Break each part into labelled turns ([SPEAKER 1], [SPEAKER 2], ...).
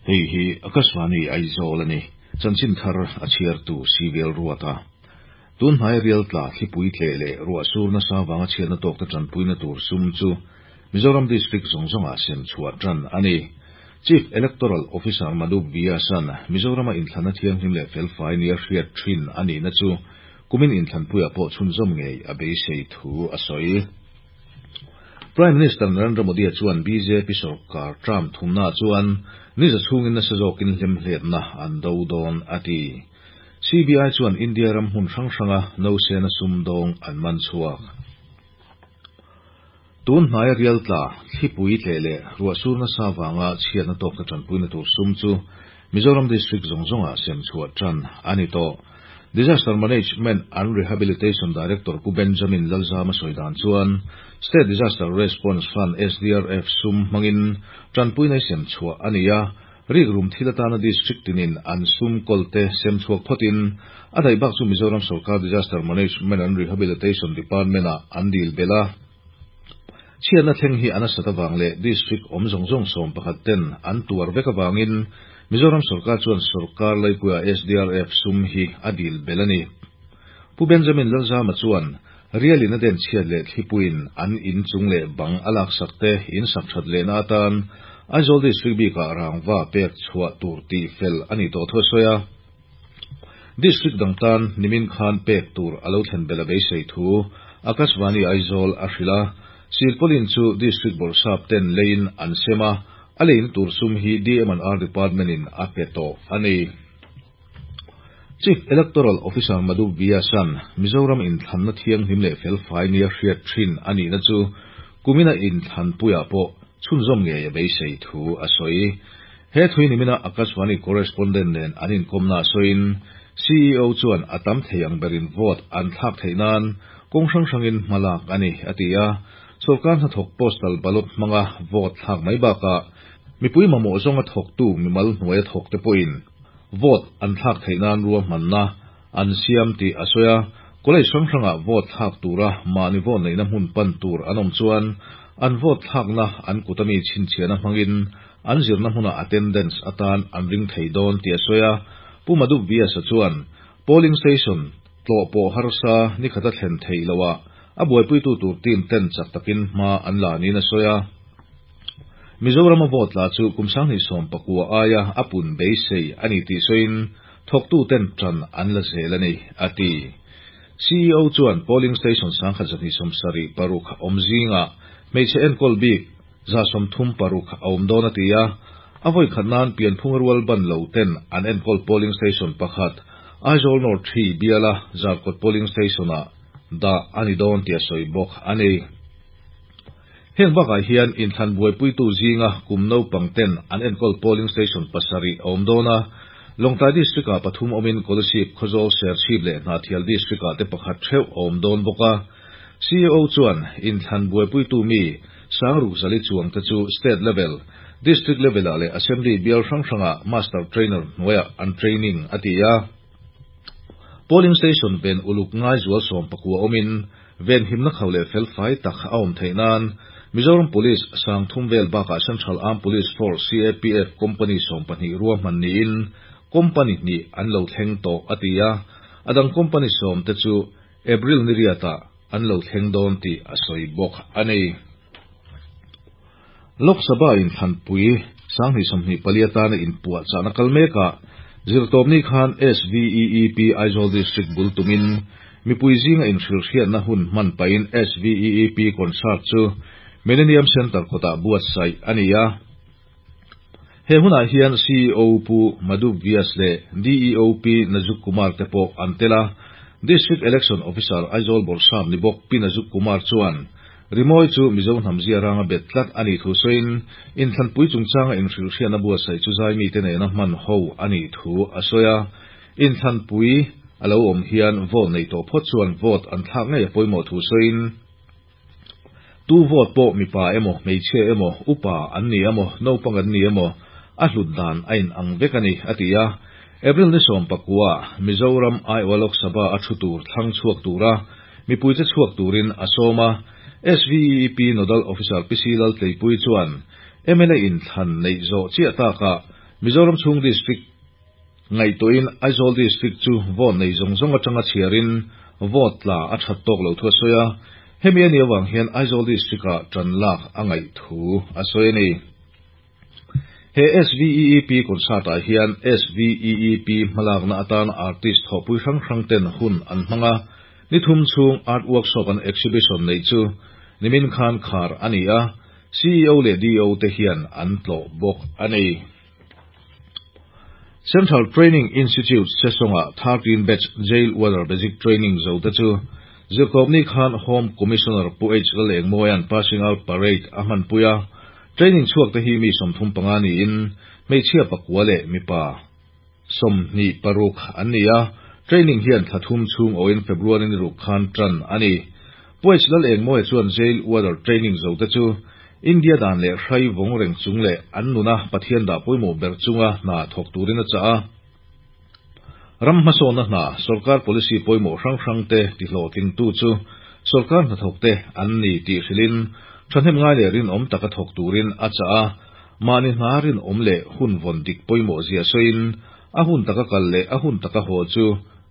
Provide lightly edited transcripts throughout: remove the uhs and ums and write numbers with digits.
[SPEAKER 1] Hei hi Akashvani Aizawl a ni. Chanchin thar a chhiartu Civil Ruata. Tun hnai rial tla thlipui tleh leh ruah sur nasa vanga chhiatna tawkte tanpuina tur sum chu Mizoram District zawng zawngah sem chhuah tan a ni. Chief Electoral Officer Madhu Vyas-a'n Mizorama inthlanna thianghlim leh felfai nia hriat thin a nihna chu kumin inthlanpuiah pawh chhunzawm ngei a beisei thu a sawi. Prime Minister Narendra Modi-a chuan bjp sorkar term thumnaah chuan niza chhungin nasa zawkin hlemhletna an do dawn a ti. CBI chuan India ram hmun hrang hranga nausena sumdawng an man chhuak. Tun hnaia rial tla, thlipui tleh leh ruahsur nasa vanga chhiatna tawkna tanpuina tur sum chu Mizoram District zawng zawngah sem chhuah tan a ni tawh. Disaster Management and Rehabilitation Director Pu Benjamin Lalzama sawi dan chuan State Disaster Response Fund, SDRF, sum hmangin tanpuina sem chhuah a ni a, rikrum thil atana District tinin an sum kawlte sem chhuak phawtin a daih bak chu Mizoram Sorkar Disaster Management and Rehabilitation Department-ah an dil belh a. Chhiatna thleng hi a nasat avang leh District awm zawng zawng 11 ten an tuar vek avangin Mizoram sorkar chuan sorkar laipuia SDRF sum hi a dil belh a ni. Pu Benjamin Lalzama chuan rialin a den chhiat leh thlipuiin an in chung leh bang a laksak te in sak that lehna atan Aizawl District bikah rangva pek chhuah tur tih fel a ni tawh thu a sawi a. District dang tan nimin khan pek tur a lo thlen belh a beisei thu Akashvani Aizawl a hrilh a. Silpaulin chu District Bawrhsap ten leiin an sem a, a leina tur sum hi DM&R Department in a pe tawh a ni. Chief Electoral Officer Madhu Vyas-a'n Mizoram inthlanna thianghlim leh felfai nia hriat thin a nihna chu kumina inthlanpuiah pawh chhunzawm ngei a beisei thu a sawi. He thui nimina Akashvani correspondent nen an inkawmna sawiin CEO chuan a tam thei ang berin vote an thlak theih nan kawng hrang hrangin hmalak a ni, a ti a. Sorkar hnathawk postal ballot hmanga vote thlak mai bakah mipui mamawh zawnga thawktu mimal hnuaia thawk te pawhin vote an thlak theih nan ruahmanna an siam tih a sawi a. College hrang hrangah vote thlak tura mahni vote neihna hmun pan tur an awm chuan an vote thlakna an kut ami chhinchhiahna hmangin an zirna hmunah attendance atan an ring thei dawn tih a sawi a. Pu Madhu Vyas-a chuan polling station tlawh pawh harsa ni khata thlen theih loah a buaipuitu tur team ten chak takin hma an la niin a sawi a. Mizorama vote tla chu kum 2019 aia a pun beisei a ni tih sawiin thawktu ten tan an la zel a ni, a ti. CEO chuan polling station 1176 awm zingah hmeichhe enkawl bik 136 a awm dawn a ti a. A vawi khat nan pianphung rual ban lo ten an enkawl polling station pakhat Aizawl North 3 biala Zarkawt polling station-ah dah a ni dawn tih a sawi bawk a ni. Heng bakah hian inthlan buaipuitu zinga kum naupang ten an enkawl polling station 7 a awm dawn a. Lawngtlai District-ah 3 awmin Kolasib, Khawzawl, Serchhip leh Hnahthial District-ah te pakhat theuh a awm dawn bawk a. CEO chuan inthlan buaipuitu mi sangruk zali chuang te chu state level, district level-ah leh assembly bial hrang hrangah master trainer hnuaiah an training a ti a. Polling station ven uluk ngai zual 19 awmin ven himna khau leh felfai tak a awm theih nan Mizoram Police 30 vel bakah Central Armed Police Force CAPF Company 12 ruahman niin company hnih an lo thleng tawh a ti a. Adang company 10 te chu April ni riatah an lo thleng dawn tih a sawi bawk a ni. Lok Sabha inthlanpui 2024 atana inpuah chahna kal mekah zirtawpni khan SVEEP Aizawl District bul tumin mipui zinga inhrilhriatna hun hman pahin SVEEP concert chu Millennium Centre kawtah buatsaih a ni a. He hunah hian CEO Pu Madhu Vyas leh DEO P Nazuk Kumar te pawh an tel a. District Election Officer Aizawl Bawrhsap ni bawk P Nazuk Kumar chuan rimawi chu Mizo hnam zia ranga bet tlat a nih thu sawiin inthlanpui chungchanga inhrilhriatna buatsaih chu zai mite nena hman ho a nih thu a sawi a. Inthlanpui a lo awm hian vote nei tawh phawt chuan vote an thlak ngei a pawimawh thu sawiin tu vote pawh mipa emaw hmeichhia emaw upa an ni emaw naupang an ni emaw a hlut dan a in ang vek a ni, a ti a. April ni 19 Mizoram Aiwa Lok Sabha a thu tur thlang chhuak tura mipui che chhuak turin a sawm a. SVEEP Nodal Officer PC Laltleipui chuan MLA inthlan nei zawh chiah takah. Mizoram chhung District ngaihtuahin Aizawl District chu vote nei zawng zawng atanga chhiarin vote tla a that tawk loh thu a sawi a, hemi a nih avang hian Aizawl District-ah tan lak a ngaih thu a sawi a ni. He SVEEP concert-ah hian SVEEP hmalakna atan artist thawhpui hrang hrang ten hun an hmang a, ni thum chhung art workshop an exhibition neih chu nimin khan khar a ni a, CEO leh DO te hian an tlawh bawk a ni. Central Training Institute Sesawngah 13 batch Jail Warder Basic Training zo te chu Zirtawpni khan Home Commissioner Pu H Lalengmawia'n Passing Out Parade a hmanpui a, Training chhuak te hi mi 35 niin hmeichhia pakua leh mipa 26 an ni a, training hian thla thum chhung awhin February ni ruk khan tan a ni. Pu H Lalengmawia chuan Jail Warder training zo te chu India dan leh hrai vawng reng chung leh an nuna Pathian dah pawimawh ber chunga hna thawk turin a chah a. Ram hmasawnna hna sorkar policy pawimawh hrang hrang te tihlawhtlingtu chu sorkar hnathawk te an ni tih hrilhin thahnem ngai leh rinawm taka thawk turin a chah a, mahni hna rinawm leh hun vawn dik pawimawh zia sawiin a hun taka kal leh a hun taka haw chu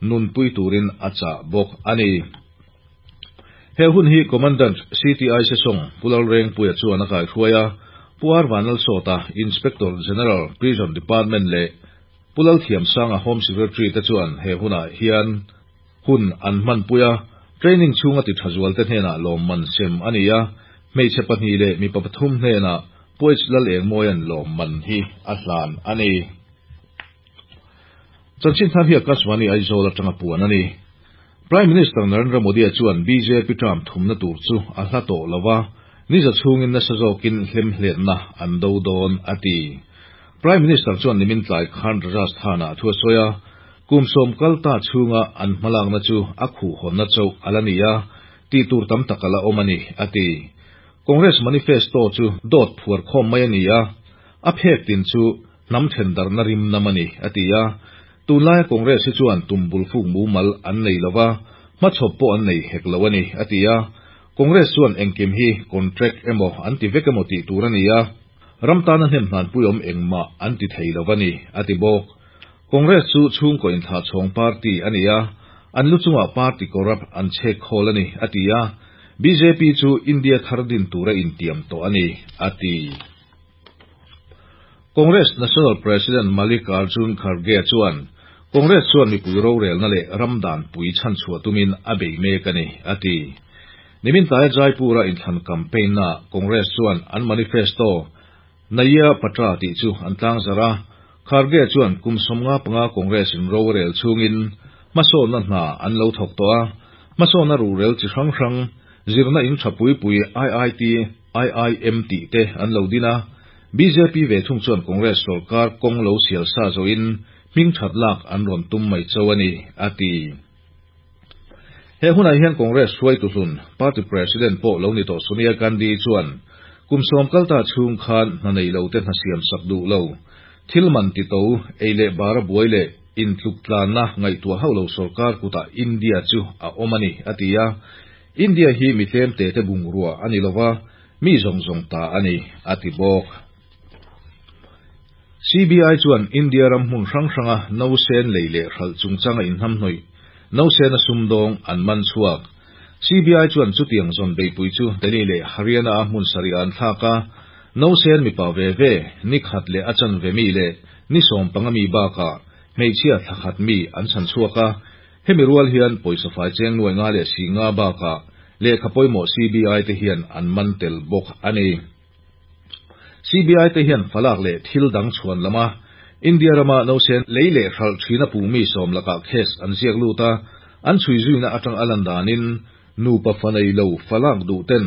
[SPEAKER 1] nunpui turin a chah bawk a ni. He hun hi Commandant CTI Sesawng Pu Lalrengpuia chuan a kaihruai a, Pu R Vanlalsawta, Inspector General, Prison Department leh Pu Lalthiamsanga Home Secretary te chuan he hunah hian hun an hmanpui a, training chhunga ti tha zual te hnenah lawmman sem a ni a, hmeichhe pahnih leh mipa pathum hnenah Pu H Lalengmawia'n lawmman hi a hlan a ni. Chanchin thar hi Akashvani Aizawl atanga puan a ni. Prime Minister Narendra Modi-a chuan bjp term thumna tur chu a hla tawh lo a, ni za chhungin nasa zawkin hlemhletna an do dawn a ti. Prime Minister chuan nimin tlai khan Rajasthan-ah thu a sawi a, kum sawm kal ta chhunga an hmalakna chu a khuhhawnna chauh a la ni a, tih tur tam tak a la awm a ni, a ti. Congress manifesto chu dawt phuar khawm mai a ni a, a phek tin chu hnam thendarhna rim nam a ni, a ti a. Tunlaia Congress hi chuan tum bul fuk mumal an nei lo va, hmachhawp pawh an nei hek lo a ni, a ti a. Congress chuan engkim hi contract emaw an ti vek emaw tih tur a ni a, ram tana hnem hlanpui awm engmah an ti thei lo a ni, a ti bawk. Congress chu chhungkaw inthlahchhawng party a ni a, an lu chungah party corrupt an chhek khawl a ni, a ti a. Bjp chu India thar din tura intiam tawh a ni, a ti. Congress National President Mallikarjun Kharge chuan Congress chuan mipui rorelna leh ram danpui chhanchhuah tumin a bei mek a ni, a ti. Nimin tlai Jaipur-a inthlan campaign-naah Congress chuan an manifesto Naya Patra tih chu an tlangzarh a, Kharge chuan kum 55 Congress-in rorel chhungin hmasawnna hna an lo thawk tawh a, hmasawnna ruhrel chi hrang hrang, zirna in tha pui pui IIT, IIM tih te an lo din a, bjp ve thung chuan Congress sorkar kawng lo sial sa zawhin hming that lak an rawn tum mai cho a ni, a ti. He hunah hian Congress hruaitu hlun, party president pawh lo ni tawh Sonia Gandhi chuan kum sawm kal ta chhung khan hna nei lo te hna siam sak duh lo, thil man ti to, ei leh bara buai leh intluk tlanna ngaihtuah hauh lo sorkar kutah India chu a awm a ni, a ti a. India hi mi tlem te te bungrua a ni lova, mi zawng zawng ta a ni, a ti bawk. CBI chuan India ram hmun hrang hranga nausen lei leh hralh chungchanga inhnamhnawih nausena sumdawng an man chhuak. CBI chuan chutiang zawn beihpui chu Delhi leh Haryana-a hmun sarih ah an thlak a, nausen mipa ve ve, ni khat leh a chanve mi leh ni 15 mi bakah hmeichhia thla khat mi an chhan chhuak a, Hemi rual hian pawisa fai cheng nuai nga leh si nga bakah lehkha pawimawh CBI te hian an man tel bawk a ni. CBI te hian falak leh thil dang chhuan lama India rama nausen lei leh hralh thina puh mi sawm lakah case an ziak lut a, an chhui zuina atang a lan danin nupa fa nei lo falak duh ten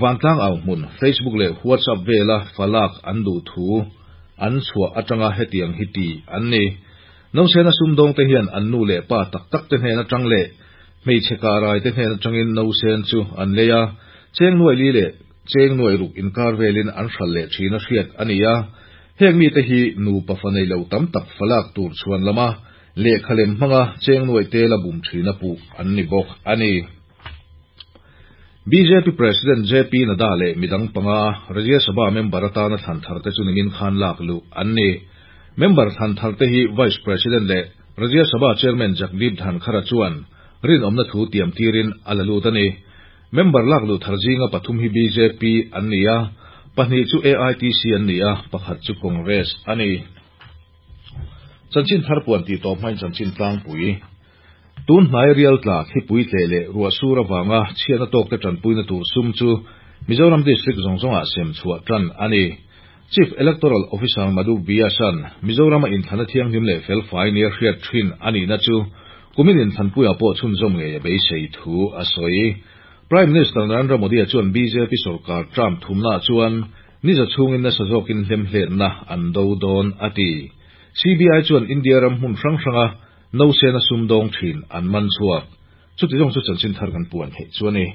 [SPEAKER 1] vantlang au hmun Facebook leh WhatsApp vela falak an duh thu an chhuah atanga hetiang hi ti an ni. Nausena sumdawng te hian an nu leh pa tak tak te hnen atang leh hmeichhe karai te hnen atangin nausen chu an lei a, cheng nuai li leh cheng nuai ruk inkar velin an hral leh thin a hriat a ni a. Heng mite hi nupa fa nei lo tam tak falak tur chhuan lama lehkha lem hmanga cheng nuai te la bum thin a puh an ni bawk a ni. Bjp President JP Nadda leh midang panga Rajya Sabha member atana thlan thar te chu nimin khan lak luh an ni. Member thlan tharte hi Vice President leh Rajya Sabha Chairman Jagdeep Dhankhar-a chuan rinawmna thu tiam tirin a la lut a ni. Member lak luh thar zinga pathum hi bjp an ni a, pahnih chu AITC an ni a, pakhat chu Congress a ni. Chanchin thar puan tih tawp hmain chanchin tlangpui. Tun hnai rial tla thlipui tleh leh ruah sur avanga chhiatna tawkte tanpuina tur sum chu Mizoram District zawng zawngah sem chhuah tan a ni. Chief Electoral Officer Madhu Vyas-a'n Mizorama inthlana thianghlim leh felfai nia hriat thin a nihna chu kumin inthlanpuiah pawh chhunzawm ngei a beisei thu a sawi. Prime Minister Narendra Modi-a chuan bjp sorkar term thumnaah chuan niza chhungin nasa zawkin hlemhletna an do dawn a ti. CBI chuan India ram hmun hrang hranga Nausena sumdawng thin an man chhuak. Chuti zawng chu chanchin thar kan puan theih chu a ni.